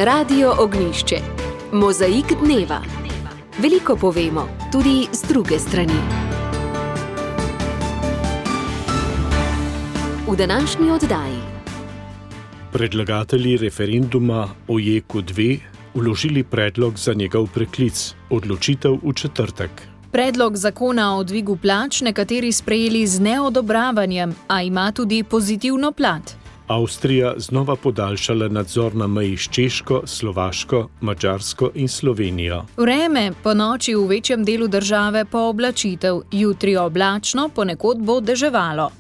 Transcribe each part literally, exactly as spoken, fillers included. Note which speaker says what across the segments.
Speaker 1: Radio Ognjišče. Mozaik dneva. Veliko povemo, tudi z druge strani. V današnji oddaji.
Speaker 2: Predlagatelji referenduma o JEK dve vložili predlog za njegov preklic, odločitev v četrtek.
Speaker 3: Predlog zakona o dvigu plač nekateri sprejeli z neodobravanjem, a ima tudi pozitivno plat.
Speaker 2: Avstrija znova podaljšala nadzor na meji s Češko, Slovaško, Madžarsko in Slovenijo.
Speaker 3: Vreme ponoči v večjem delu države pooblačitev, jutri oblačno, ponekod bo deževalo.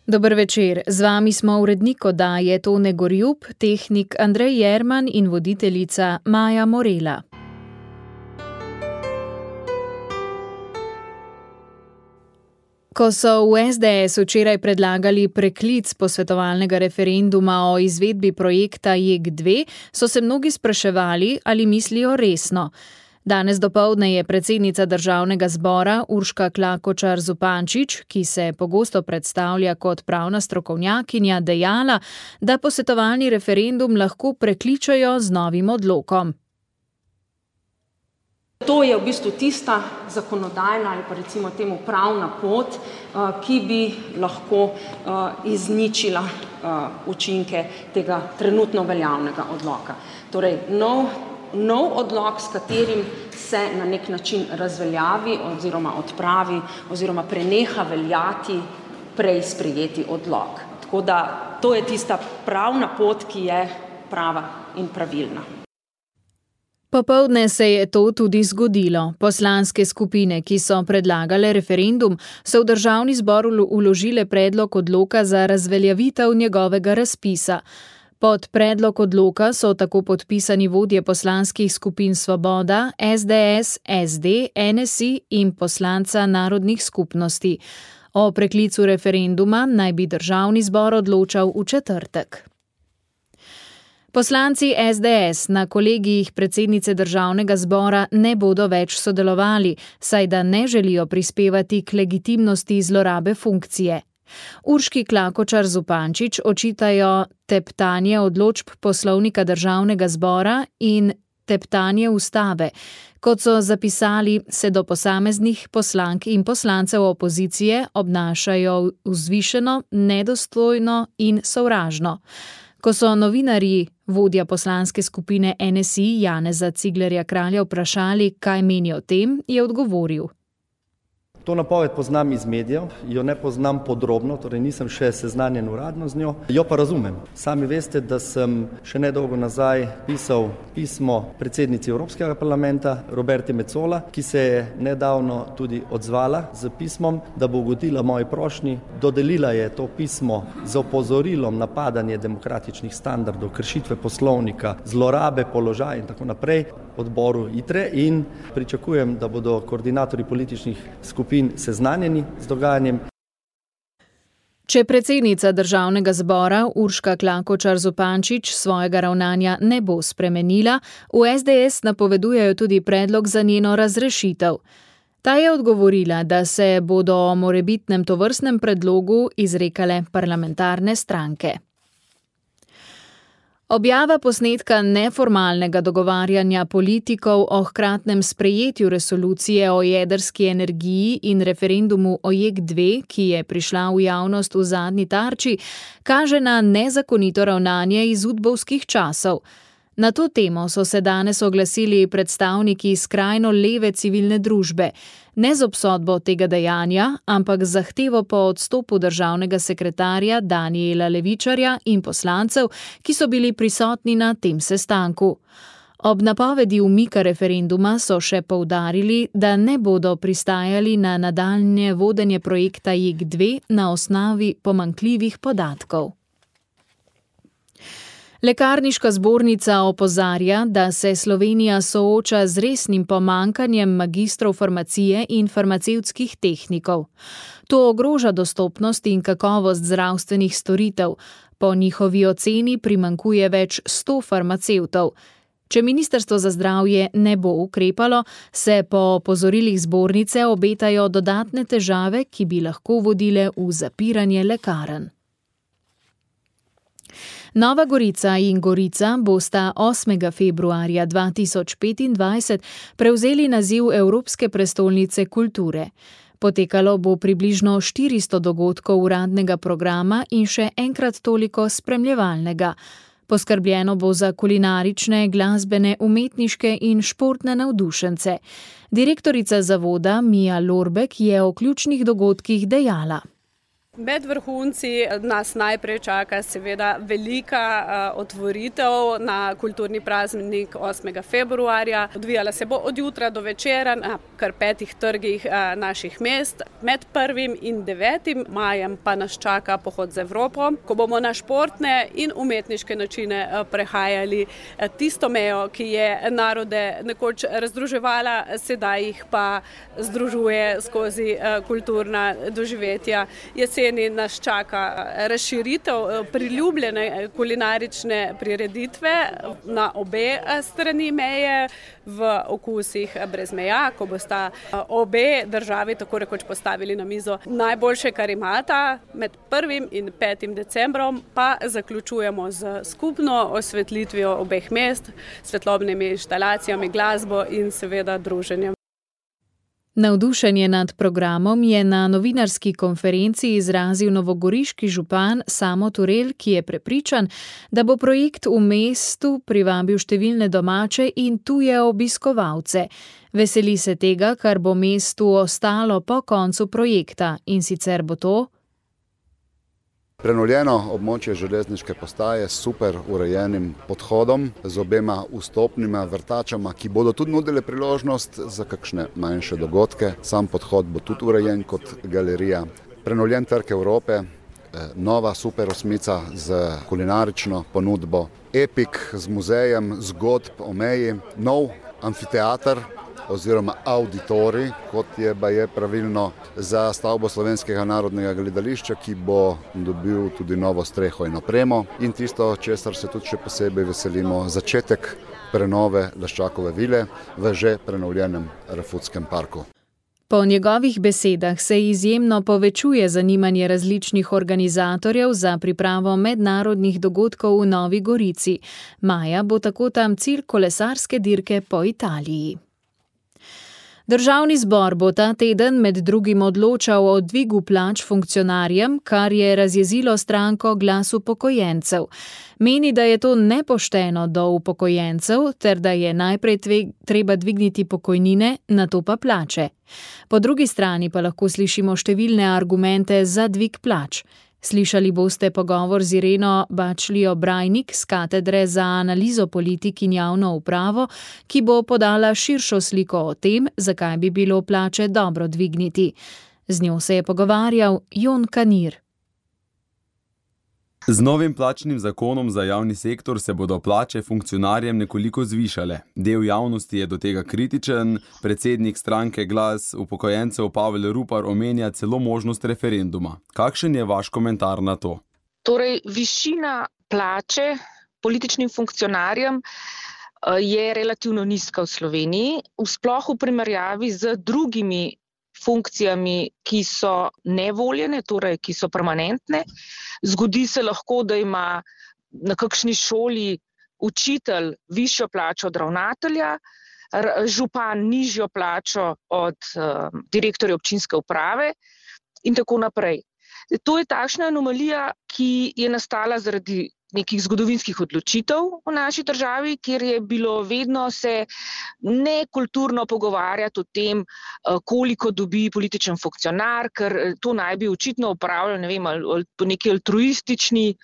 Speaker 3: Dober večer, z vami smo urednik oddaje Tone Gorjup, tehnik Andrej Jerman in voditeljica Maja Morela. Ko so v es de es včeraj predlagali preklic posvetovalnega referenduma o izvedbi projekta JEK dve, so se mnogi spraševali, ali mislijo resno. Danes dopoldne je predsednica državnega zbora Urška Klakočar Zupančič, ki se pogosto predstavlja kot pravna strokovnjakinja, dejala, da posvetovalni referendum lahko prekličajo z novim odlokom.
Speaker 4: To je v bistvu tista zakonodajna ali pa recimo temu pravna pot, ki bi lahko izničila učinke tega trenutno veljavnega odloka. Torej, nov, nov odlok, s katerim se na nek način razveljavi oziroma odpravi oziroma preneha veljati prej sprejeti odlok. Tako da to je tista pravna pot, ki je prava in pravilna.
Speaker 3: Popoldne se je to tudi zgodilo. Poslanske skupine, ki so predlagale referendum, so v državni zbor vložile predlog odloka za razveljavitev njegovega razpisa. Pod predlog odloka so tako podpisani vodje poslanskih skupin Svoboda, es de es, es de, en es i in poslanca narodnih skupnosti. O preklicu referenduma naj bi državni zbor odločal v četrtek. Poslanci es de es na kolegijih predsednice državnega zbora ne bodo več sodelovali, saj da ne želijo prispevati k legitimnosti zlorabe funkcije. Urški Klakočar Zupančič očitajo teptanje odločb poslovnika državnega zbora in teptanje ustave. Kot so zapisali, se do posameznih poslank in poslancev opozicije obnašajo vzvišeno, nedostojno in sovražno. Ko so novinarji vodja poslanske skupine en es i Janeza Ciglerja Kralja vprašali, kaj meni o tem, je odgovoril.
Speaker 5: To napoved poznam iz medijev, jo ne poznam podrobno, torej nisem še seznanjen uradno z njo, jo pa razumem. Sami veste, da sem še nedolgo nazaj pisal pismo predsednici Evropskega parlamenta Roberti Metsola, ki se je nedavno tudi odzvala z pismom, da bo ugodila moji prošnji. Dodelila je to pismo z opozorilom na padanje demokratičnih standardov, kršitve poslovnika, zlorabe položaja in tako naprej odboru ITRE in pričakujem, da bodo koordinatorji političnih skupin seznanjeni z dogajanjem.
Speaker 3: Če predsednica državnega zbora Urška Klakočar Zupančič svojega ravnanja ne bo spremenila, v es de es napovedujejo tudi predlog za njeno razrešitev. Ta je odgovorila, da se bodo o morebitnem tovrstnem predlogu izrekale parlamentarne stranke. Objava posnetka neformalnega dogovarjanja politikov o hkratnem sprejetju resolucije o jedrski energiji in referendumu o JEK dve, ki je prišla v javnost v zadnji Tarči, kaže na nezakonito ravnanje iz udbovskih časov. Na to temo so se danes oglasili predstavniki skrajno leve civilne družbe, ne z obsodbo tega dejanja, ampak z zahtevo po odstopu državnega sekretarja Danijela Levičarja in poslancev, ki so bili prisotni na tem sestanku. Ob napovedi umika referenduma so še poudarili, da ne bodo pristajali na nadaljnje vodenje projekta JEK dve na osnovi pomanjkljivih podatkov. Lekarniška zbornica opozarja, da se Slovenija sooča z resnim pomanjkanjem magistrov farmacije in farmacevtskih tehnikov. To ogroža dostopnost in kakovost zdravstvenih storitev. Po njihovi oceni primanjkuje več sto farmacevtov. Če ministrstvo za zdravje ne bo ukrepalo, se po opozorilih zbornice obetajo dodatne težave, ki bi lahko vodile v zapiranje lekarn. Nova Gorica in Gorica bosta osmega februarja dva tisoč petindvajset prevzeli naziv Evropske prestolnice kulture. Potekalo bo približno štiristo dogodkov uradnega programa in še enkrat toliko spremljevalnega. Poskrbljeno bo za kulinarične, glasbene, umetniške in športne navdušence. Direktorica zavoda Mija Lorbek je o ključnih dogodkih dejala.
Speaker 6: Med vrhunci nas najprej čaka seveda velika uh, otvoritev na kulturni praznik osmega februarja. Odvijala se bo od jutra do večera na kar petih trgih uh, naših mest. Med prvim in devetim majem pa nas čaka pohod z Evropo, ko bomo na športne in umetniške načine uh, prehajali uh, tisto mejo, ki je narode nekoč razdruževala, sedaj jih pa združuje skozi uh, kulturna doživetja. Jesen nas čaka razširitev priljubljene kulinarične prireditve na obe strani meje v okusih brez meja, ko bosta obe državi tako rekoč postavili na mizo najboljše, kar imata. Med prvim in petim decembrom pa zaključujemo z skupno osvetlitvijo obeh mest, svetlobnimi inštalacijami, glasbo in seveda druženjem.
Speaker 3: Navdušenje nad programom je na novinarski konferenci izrazil novogoriški župan Samo Turel, ki je prepričan, da bo projekt v mestu privabil številne domače in tuje obiskovalce. Veseli se tega, kar bo mestu ostalo po koncu projekta, in sicer bo to
Speaker 7: prenovljeno območje železniške postaje s super urejenim podhodom, z obema vstopnima vrtačama, ki bodo tudi nudile priložnost za kakšne manjše dogodke. Sam podhod bo tudi urejen kot galerija. Prenovljen trg Evrope, nova super osmica z kulinarično ponudbo, epik z muzejem zgodb o meji, nov amfiteater oziroma auditorij, kot je baje pravilno, za stavbo Slovenskega narodnega gledališča, ki bo dobil tudi novo streho in opremo. In tisto, česar se tudi še posebej veselimo, začetek prenove Laščakove vile v že prenovljenem Rafutskem parku.
Speaker 3: Po njegovih besedah se izjemno povečuje zanimanje različnih organizatorjev za pripravo mednarodnih dogodkov v Novi Gorici. Maja bo tako tam cilj kolesarske dirke po Italiji. Državni zbor bo ta teden med drugim odločal o dvigu plač funkcionarjem, kar je razjezilo stranko Glas upokojencev. Meni, da je to nepošteno do upokojencev, ter da je najprej treba dvigniti pokojnine, nato pa plače. Po drugi strani pa lahko slišimo številne argumente za dvig plač. Slišali boste pogovor z Ireno Bačlijo Brajnik z katedre za analizo politik in javno upravo, ki bo podala širšo sliko o tem, zakaj bi bilo plače dobro dvigniti. Z njo se je pogovarjal Jon Kanir.
Speaker 8: Z novim plačnim zakonom za javni sektor se bodo plače funkcionarjem nekoliko zvišale. Del javnosti je do tega kritičen, predsednik stranke Glas upokojencev Pavel Rupar omenja celo možnost referenduma. Kakšen je vaš komentar na to?
Speaker 9: Torej, višina plače političnim funkcionarjem je relativno nizka v Sloveniji, sploh v primerjavi z drugimi funkcijami, ki so nevoljene, torej ki so permanentne. Zgodi se lahko, da ima na kakšni šoli učitelj višjo plačo od ravnatelja, župan nižjo plačo od uh, direktorja občinske uprave in tako naprej. To je takšna anomalija, ki je nastala zaradi nekih zgodovinskih odločitev v naši državi, kjer je bilo vedno se nekulturno pogovarjati o tem, koliko dobi političen funkcionar, ker to naj bi očitno upravljal, ne vem, po neki altruistični,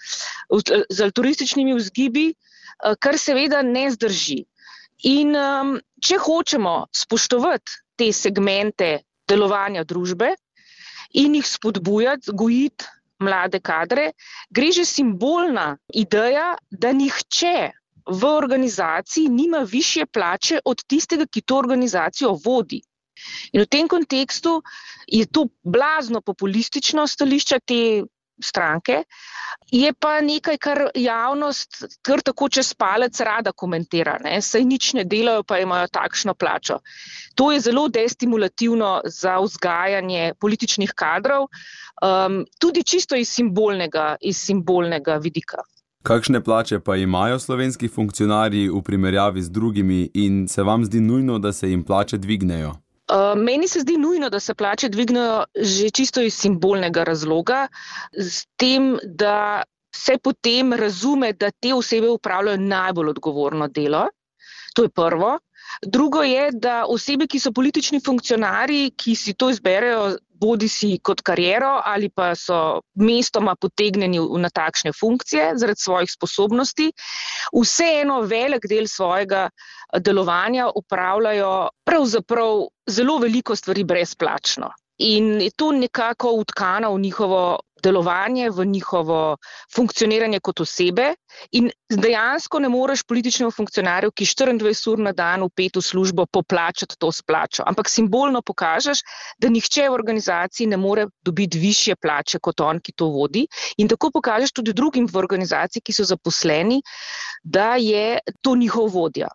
Speaker 9: z altruističnimi vzgibi, kar seveda ne zdrži. In um, če hočemo spoštovati te segmente delovanja družbe in jih spodbujati, gojiti mlade kadre, gre že simbolna ideja, da nihče v organizaciji nima višje plače od tistega, ki to organizacijo vodi. In v tem kontekstu je to blazno populistično stališče te stranke, je pa nekaj, kar javnost kar tako čez palec rada komentira, ne? Saj nič ne delajo, pa imajo takšno plačo. To je zelo destimulativno za vzgajanje političnih kadrov, um, tudi čisto iz simbolnega, iz simbolnega vidika.
Speaker 8: Kakšne plače pa imajo slovenski funkcionarji v primerjavi z drugimi in se vam zdi nujno, da se jim plače dvignejo?
Speaker 9: Uh, meni se zdi nujno, da se plače dvignejo že čisto iz simbolnega razloga, s tem, da se potem razume, da te osebe upravljajo najbolj odgovorno delo. To je prvo. Drugo je, da osebe, ki so politični funkcionarji, ki si to izberejo bodi si kot kariero ali pa so mestoma potegnjeni na takšne funkcije zaradi svojih sposobnosti, vseeno velik del svojega delovanja upravljajo pravzaprav zelo veliko stvari brezplačno. In je to nekako vtkano v njihovo delovanje, v njihovo funkcioniranje kot osebe in dejansko ne moreš političnemu funkcionarju, ki štiriindvajset ur na dan vpet v službo, poplačati to s plačo. Ampak simbolno pokažeš, da nihče v organizaciji ne more dobiti višje plače kot on, ki to vodi. In tako pokažeš tudi drugim v organizaciji, ki so zaposleni, da je to njihov vodja.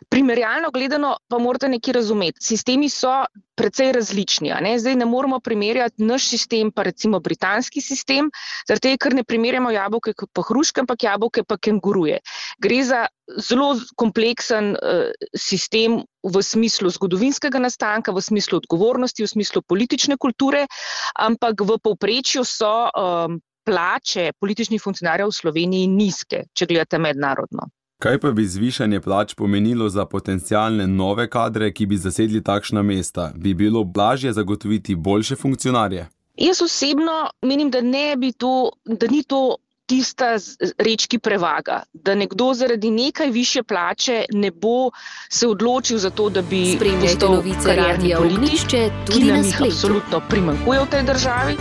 Speaker 9: Primerjalno gledano pa morate nekaj razumeti. Sistemi so precej različni. A ne? Zdaj ne moramo primerjati naš sistem pa recimo britanski sistem, zaradi tega, ker ne primerjamo jabolke pa hruške, ampak jabolke pa kenguruje. Gre za zelo kompleksen uh, sistem v smislu zgodovinskega nastanka, v smislu odgovornosti, v smislu politične kulture, ampak v povprečju so um, plače političnih funkcionarjev v Sloveniji nizke, če gledate mednarodno.
Speaker 8: Kaj pa bi zvišanje plač pomenilo za potencialne nove kadre, ki bi zasedli takšna mesta? Bi bilo lažje zagotoviti boljše funkcionarje?
Speaker 9: Jaz osebno menim, da ne bi to, da ni to tista reč, ki prevaga. Da nekdo zaradi nekaj višje plače ne bo se odločil za to, da bi postal karierni politik, ki nam jih absolutno primanjkuje v tej državi.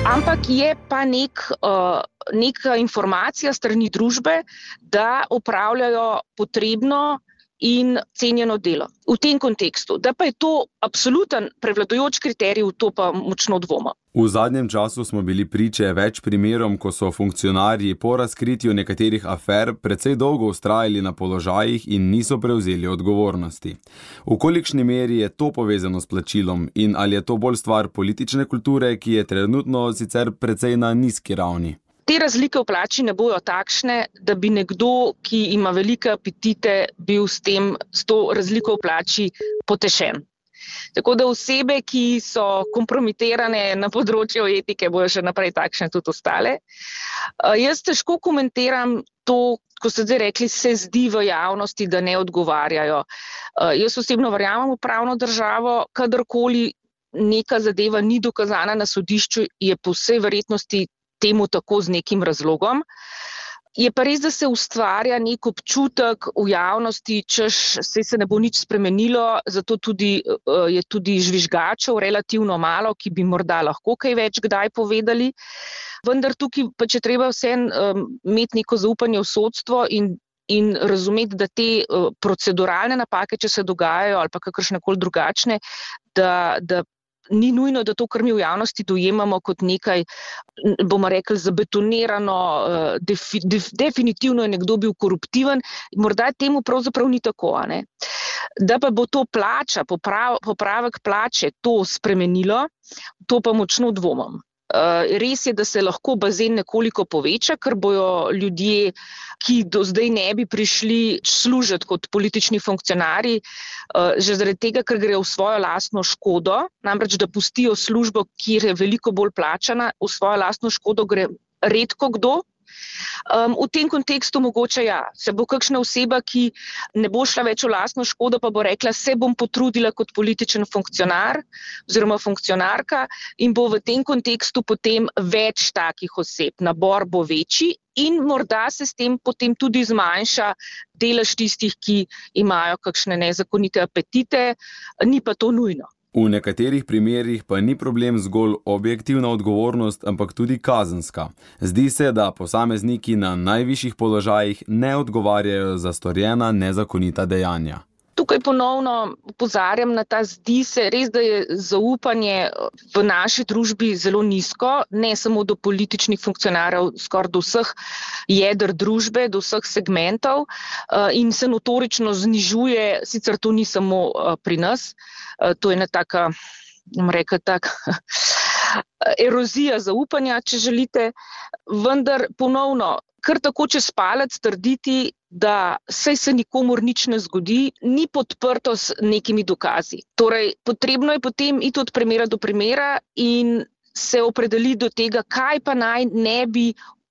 Speaker 9: Ampak je pa nek, uh, neka informacija strani družbe, da opravljajo potrebno in cenjeno delo. V tem kontekstu, da pa je to absoluten prevladujoč kriterij, v to pa močno dvoma.
Speaker 8: V zadnjem času smo bili priče več primerom, ko so funkcionarji po razkritju nekaterih afer precej dolgo vztrajali na položajih in niso prevzeli odgovornosti. V kolikšni meri je to povezano s plačilom in ali je to bolj stvar politične kulture, ki je trenutno sicer precej na nizki ravni?
Speaker 9: Te razlike v plači ne bojo takšne, da bi nekdo, ki ima velike apetite, bil s tem, s to razliko v plači potešen. Tako da osebe, ki so kompromitirane na področju etike, bojo še naprej takšne tudi ostale. Uh, jaz težko komentiram to, ko ste zdaj rekli, se zdi v javnosti, da ne odgovarjajo. Uh, jaz osebno verjamem v pravno državo, kadarkoli neka zadeva ni dokazana na sodišču, je po vsej verjetnosti temu tako z nekim razlogom. Je pa res, da se ustvarja nek občutek v javnosti, češ saj se ne bo nič spremenilo, zato tudi, je tudi žvižgačev relativno malo, ki bi morda lahko kaj več kdaj povedali. Vendar tukaj pa če treba vseeno um, imeti neko zaupanje v sodstvo in, in razumeti, da te uh, proceduralne napake, če se dogajajo ali pa kakršnekoli drugačne, da, da ni nujno, da to, kar mi v javnosti dojemamo kot nekaj, bomo rekli, zabetonirano, defi, def, definitivno je nekdo bil koruptiven, morda temu pravzaprav ni tako, a ne? Da pa bo to plača, poprav, popravek plače to spremenilo, to pa močno dvomim. Res je, da se lahko bazen nekoliko poveča, ker bojo ljudje, ki do zdaj ne bi prišli služiti kot politični funkcionarji, že zaradi tega, ker grejo v svojo lastno škodo, namreč da pustijo službo, kjer je veliko bolj plačana, v svojo lastno škodo gre redko kdo. Um, v tem kontekstu mogoče ja, se bo kakšna oseba, ki ne bo šla več v lastno škodo, pa bo rekla, se bom potrudila kot političen funkcionar oziroma funkcionarka in bo v tem kontekstu potem več takih oseb. Nabor bo večji in morda se s tem potem tudi zmanjša delež tistih, ki imajo kakšne nezakonite apetite, ni pa to nujno.
Speaker 8: V nekaterih primerih pa ni problem zgolj objektivna odgovornost, ampak tudi kazenska. Zdi se, da posamezniki na najvišjih položajih ne odgovarjajo za storjena nezakonita dejanja.
Speaker 9: Tukaj ponovno opozarjam na ta zdi se, res da je zaupanje v naši družbi zelo nizko, ne samo do političnih funkcionarjev, skoraj do vseh jeder družbe, do vseh segmentov in se notorično znižuje, sicer to ni samo pri nas, to je ena taka, bom rekla, tak erozija zaupanja, če želite, vendar ponovno, kar tako čez palec trditi, da saj se nikomur nič ne zgodi, ni podprto s nekimi dokazi. Torej, potrebno je potem iti od primera do primera in se opredeliti do tega, kaj pa naj ne bi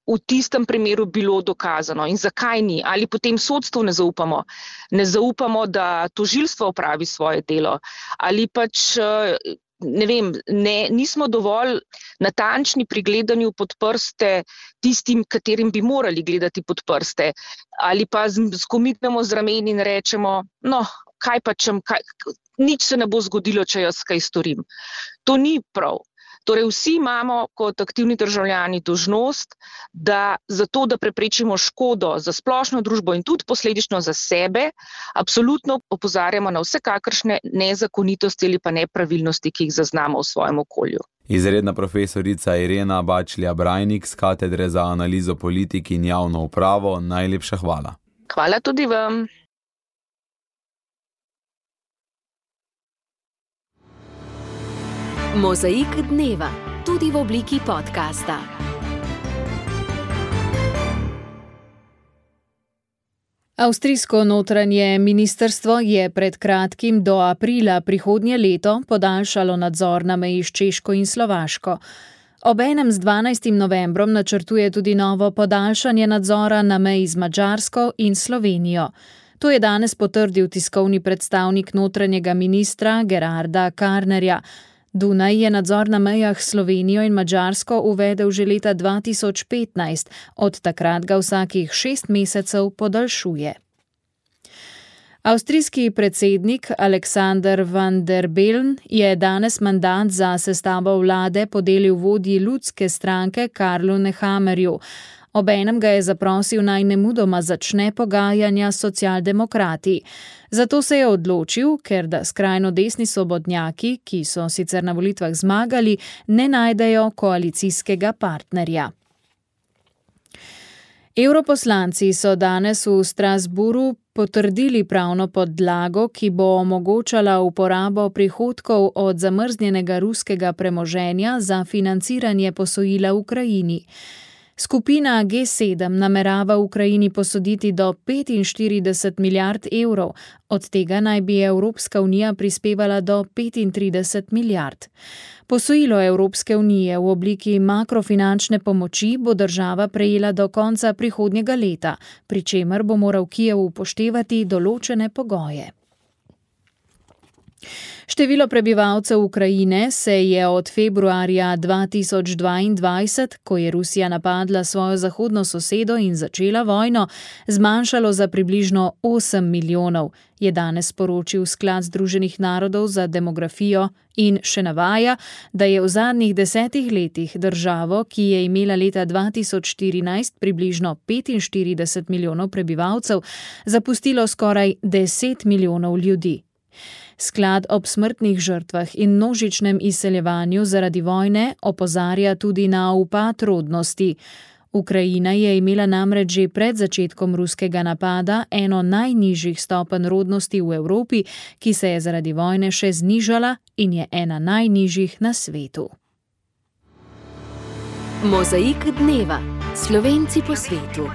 Speaker 9: v tistem primeru bilo dokazano in zakaj ni. Ali potem sodstvu ne zaupamo, ne zaupamo, da tožilstvo opravi svoje delo, ali pač ne vem, ne, nismo dovolj natančni pri gledanju pod prste tistim, katerim bi morali gledati pod prste. Ali pa skomitnemo z rameni in rečemo, no, kaj pa čem, kaj, nič se ne bo zgodilo, če jaz kaj storim. To ni prav. Torej, vsi imamo kot aktivni državljani dolžnost, da zato, da preprečimo škodo za splošno družbo in tudi posledično za sebe, absolutno opozarjamo na vsekakršne nezakonitosti ali pa nepravilnosti, ki jih zaznamo v svojem okolju.
Speaker 8: Izredna profesorica Irena Bačlja-Brajnik z Katedre za analizo politik in javno upravo, najlepša hvala.
Speaker 9: Hvala tudi vam.
Speaker 1: Mozaik dneva, tudi v obliki podcasta.
Speaker 3: Avstrijsko notranje ministrstvo je pred kratkim do aprila prihodnje leto podaljšalo nadzor na meji s Češko in Slovaško. Obenem z dvanajstim novembrom načrtuje tudi novo podaljšanje nadzora na meji z Madžarsko in Slovenijo. To je danes potrdil tiskovni predstavnik notranjega ministra Gerarda Karnerja. Dunaj je nadzor na mejah s Slovenijo in Madžarsko uvedel že leta dva tisoč petnajst, od takrat ga vsakih šest mesecev podaljšuje. Avstrijski predsednik Alexander van der Bellen je danes mandat za sestavo vlade podelil vodji ljudske stranke Karlu Nehammerju. Obenem ga je zaprosil naj nemudoma začne pogajanja s socialdemokrati. Zato se je odločil, ker da skrajno desni svobodnjaki, ki so sicer na volitvah zmagali, ne najdejo koalicijskega partnerja. Evroposlanci so danes v Strasbourgu potrdili pravno podlago, ki bo omogočala uporabo prihodkov od zamrznjenega ruskega premoženja za financiranje posojila Ukrajini. Skupina G sedem namerava Ukrajini posoditi do petinštirideset milijard evrov, od tega naj bi Evropska unija prispevala do petintrideset milijard. Posojilo Evropske unije v obliki makrofinančne pomoči bo država prejela do konca prihodnjega leta, pri čemer bo moral Kijev upoštevati določene pogoje. Število prebivalcev Ukrajine se je od februarja dva tisoč dvaindvajset, ko je Rusija napadla svojo zahodno sosedo in začela vojno, zmanjšalo za približno osem milijonov, je danes sporočil Sklad Združenih narodov za demografijo in še navaja, da je v zadnjih desetih letih državo, ki je imela leta dva tisoč štirinajst približno petinštirideset milijonov prebivalcev, zapustilo skoraj deset milijonov ljudi. Sklad ob smrtnih žrtvah in množičnem izseljevanju zaradi vojne opozarja tudi na upad rodnosti. Ukrajina je imela namreč že pred začetkom ruskega napada eno najnižjih stopenj rodnosti v Evropi, ki se je zaradi vojne še znižala in je ena najnižjih na svetu.
Speaker 1: Mozaik dneva. Slovenci po svetu.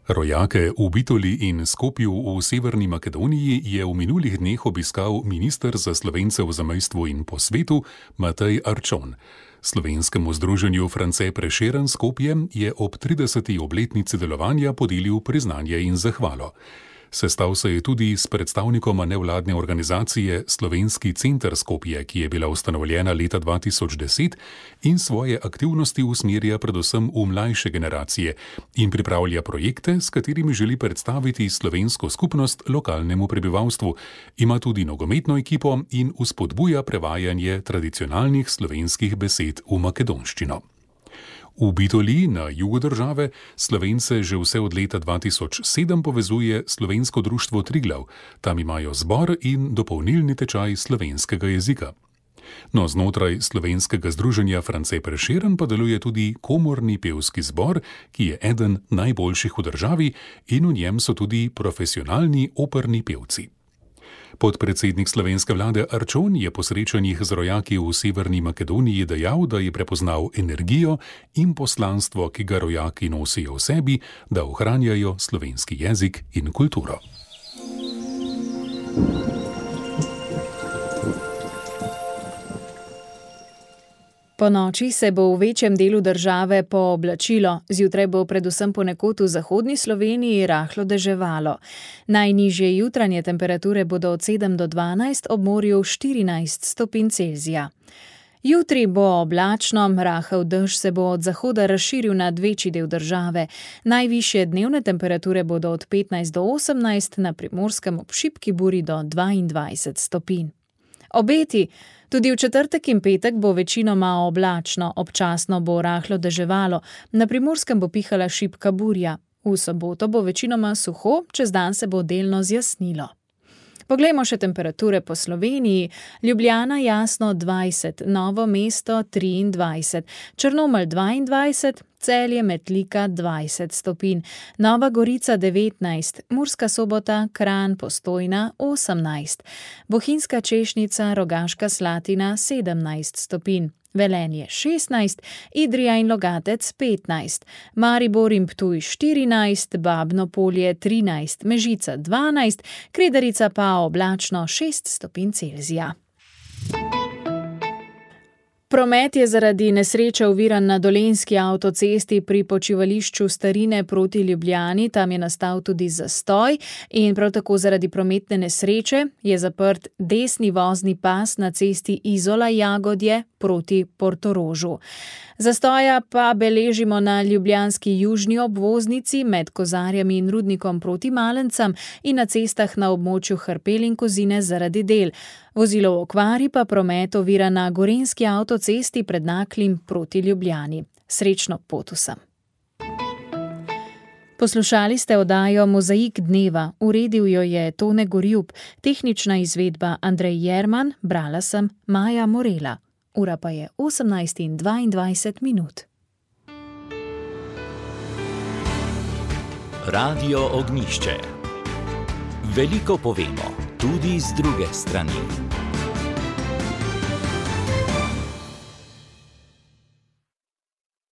Speaker 10: Rojake v Bitoli in Skopju v Severni Makedoniji je v minulih dneh obiskal minister za Slovence v zamejstvu in po svetu Matej Arčon. Slovenskemu združenju France Prešeren Skopje je ob trideseti obletnici delovanja podelil priznanje in zahvalo. Sestal se je tudi s predstavnikoma nevladne organizacije Slovenski center Skopje, ki je bila ustanovljena leta dva tisoč deset in svoje aktivnosti usmerja predvsem v mlajše generacije in pripravlja projekte, s katerimi želi predstaviti slovensko skupnost lokalnemu prebivalstvu. Ima tudi nogometno ekipo in vzpodbuja prevajanje tradicionalnih slovenskih besed v makedonščino. V Bitoli na jugu države Slovence že vse od leta dva tisoč sedem povezuje Slovensko društvo Triglav. Tam imajo zbor in dopolnilni tečaj slovenskega jezika. No, znotraj slovenskega združenja France Prešeren pa deluje tudi komorni pevski zbor, ki je eden najboljših v državi in v njem so tudi profesionalni operni pevci. Podpredsednik slovenske vlade Arčon je po srečanjih z rojaki v Severni Makedoniji dejal, da je prepoznal energijo in poslanstvo, ki ga rojaki nosijo v sebi, da ohranjajo slovenski jezik in kulturo.
Speaker 3: Po noči se bo v večjem delu države pooblačilo, zjutraj bo predvsem ponekod v zahodni Sloveniji rahlo deževalo. Najnižje jutranje temperature bodo od sedem do dvanajst, ob morju štirinajst stopinj Celzija. Jutri bo oblačno, rahel dež se bo od zahoda razširil nad večji del države. Najvišje dnevne temperature bodo od petnajst do osemnajst, na Primorskem ob šibki buri do dvaindvajset stopinj. Obeti. Tudi v četrtek in petek bo večinoma oblačno, občasno bo rahlo deževalo, na Primorskem bo pihala šibka burja. V soboto bo večinoma suho, čez dan se bo delno zjasnilo. Poglejmo še temperature po Sloveniji. Ljubljana jasno dvajset, Novo mesto triindvajset, Črnomelj dvaindvajset, Celje Metlika dvajset stopinj, Nova Gorica devetnajst, Murska Sobota, Kranj, Postojna osemnajst, Bohinjska Češnica, Rogaška Slatina sedemnajst stopinj, Velenje šestnajst, Idrija in Logatec petnajst, Maribor in Ptuj štirinajst, Babno Polje trinajst, Mežica dvanajst, Kredarica pa oblačno šest stopinj Celzija. Promet je zaradi nesreče oviran na Dolenjski avtocesti pri počivališču Starine proti Ljubljani, tam je nastal tudi zastoj in prav tako zaradi prometne nesreče je zaprt desni vozni pas na cesti Izola-Jagodje proti Portorožu. Zastoja pa beležimo na ljubljanski južni obvoznici med Kozarjami in Rudnikom proti Malencam in na cestah na območju Hrpel in Kozine zaradi del. Vozilo v okvari pa promet ovira na Gorenjski avtocesti pred Naklim proti Ljubljani. Srečno pot vsem. Poslušali ste oddajo Mozaik dneva, uredil jo je Tone Gorjub, tehnična izvedba Andrej Jerman, brala sem Maja Morela. Ura pa je osemnajst in dvaindvajset minut.
Speaker 11: Radio Ognjišče. Veliko povemo, tudi z druge strani.